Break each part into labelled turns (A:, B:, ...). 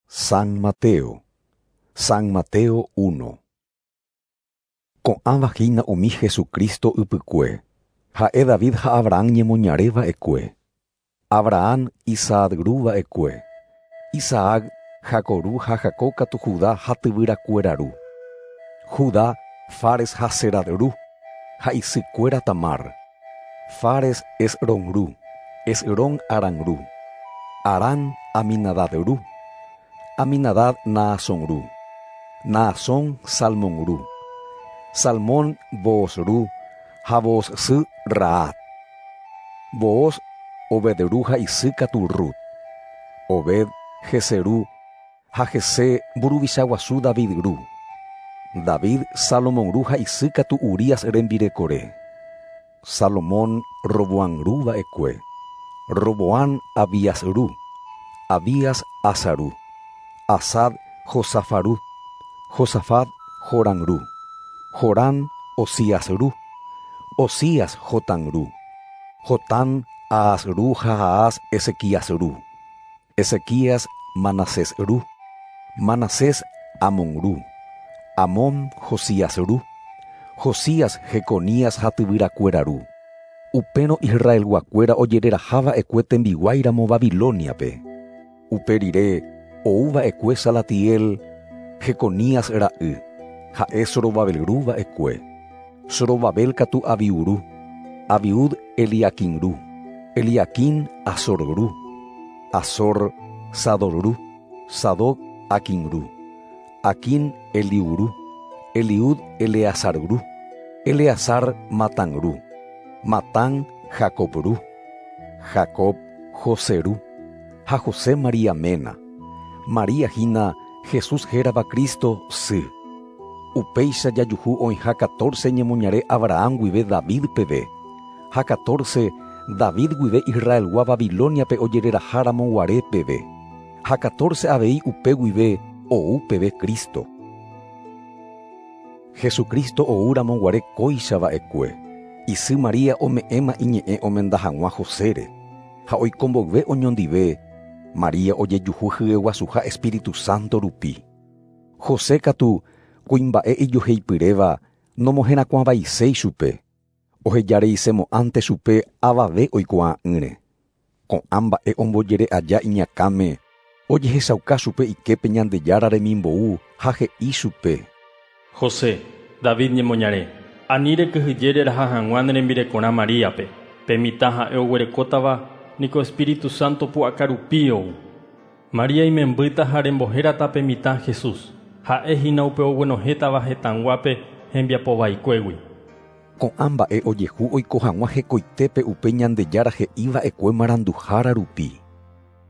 A: San Mateo. San Mateo 1. Ko'ãva hína umi Jesucristo ypykue. Ha'e David ha Abraham ñemoñare va'ekue. Abraham Isaac ru va'ekue. Isaac Jacob ru ha Jacob katu Judá ha tyvyrakuéra ru. Judá Fares ha Zérah ru, ha isykuéra Tamar. Fares Esrom ru, Esrom Aram ru, Aram Aminadab ru, Aminadab Naasón ru, Naasón Salmón ru, Salmón Booz ru ha Booz sy Rahab. Booz Obed ru ha isy katu Rut. Obed Jesé ru ha Jesé mburuvicha guasu David ru. David Salomón ru ha isy katu Urías rembirekore. Salomón Roboam ru va'ekue. Roboam Abías ru, Abías Asa ru, Asa Josafat ru, Josafat Joram ru, Joram Ozías ru, Ozías Jotán ru, Jotán Ahaz ru ha Ahaz Ezequías ru, Ezequías Manasés ru, Manasés Amón ru, Amón Josías ru, Josías Jeconías ha tyvyrakuéra ru. Upérõ Israelguakuéra ojereraha va'ekue tembiguáiramo Babilóniape. Upe rire ou va'ekue Salatiel, Jeconías ra'y, ha'e Zorobabel ru va'ekue. Zorobabel katu Abiud ru, Abiud Eliaquim ru, Eliaquim Azor ru, Azor Sadoc ru, Sadoc Aquim ru, Aquim Eliud ru, Eliud Eleazar ru, Eleazar Matán ru, Matán Jacob ru, Jacob José ru, ha José María ména. María hína Jesús hérava Cristo sy. Upéicha jajuhu oĩha catorce ñemoñare Abraham guive David peve, ha catorce David guive Israelgua Babilóniape ojereraha ramo guare peve, ha catorce avei upe guive ou peve Cristo. Jesucristo ou ramo guare kóicha va'ekue, isy María ome'ẽma iñe'ẽ omenda hag̃ua Josére, ha oiko mboyve oñondive, María ojejuhu hyeguasuha Espíritu Santo rupi. José katu, kuimba'e ijoheipyréva, nomoherakuãvaiséi chupe, ohejareisemo'ãnte chupe avave oikuaa'ỹre. Ko'ã mba'e ombojere aja iñakãme, ojehechauka chupe iképe Ñandejára remimbou ha he'i chupe:
B: José, David ñemoñare, ani rekyhyje reraha hag̃ua ne rembirekorã Maríape, pe mitã ha'e oguerekótava niko Espíritu Santo pu'aka rupi ou. María imembýta ha rembohérata pe mitã Jesús, ha'e hína upe oguenohẽtava hetãguápe hembiapovaikuégui.
A: Ko'ã mba'e ojehu oiko hag̃ua hekoitépe upe Ñandejára he'i va'ekue maranduhára rupi.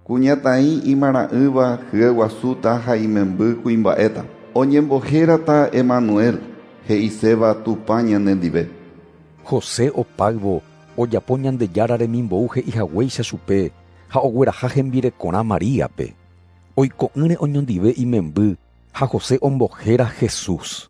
C: Kuñataĩ imarã'ỹva hyeguasúta ha imemby kuimba'éta. Oñembohérata Emanuel, he'iséva Tupã ñanendive.
A: José opáyvo ojapo Ñandejára remimbou he'ihaguéicha chupe ha ogueraha hembirekorã Maríape. Oiko'ỹre oñondive imemby ha José ombohéra Jesús.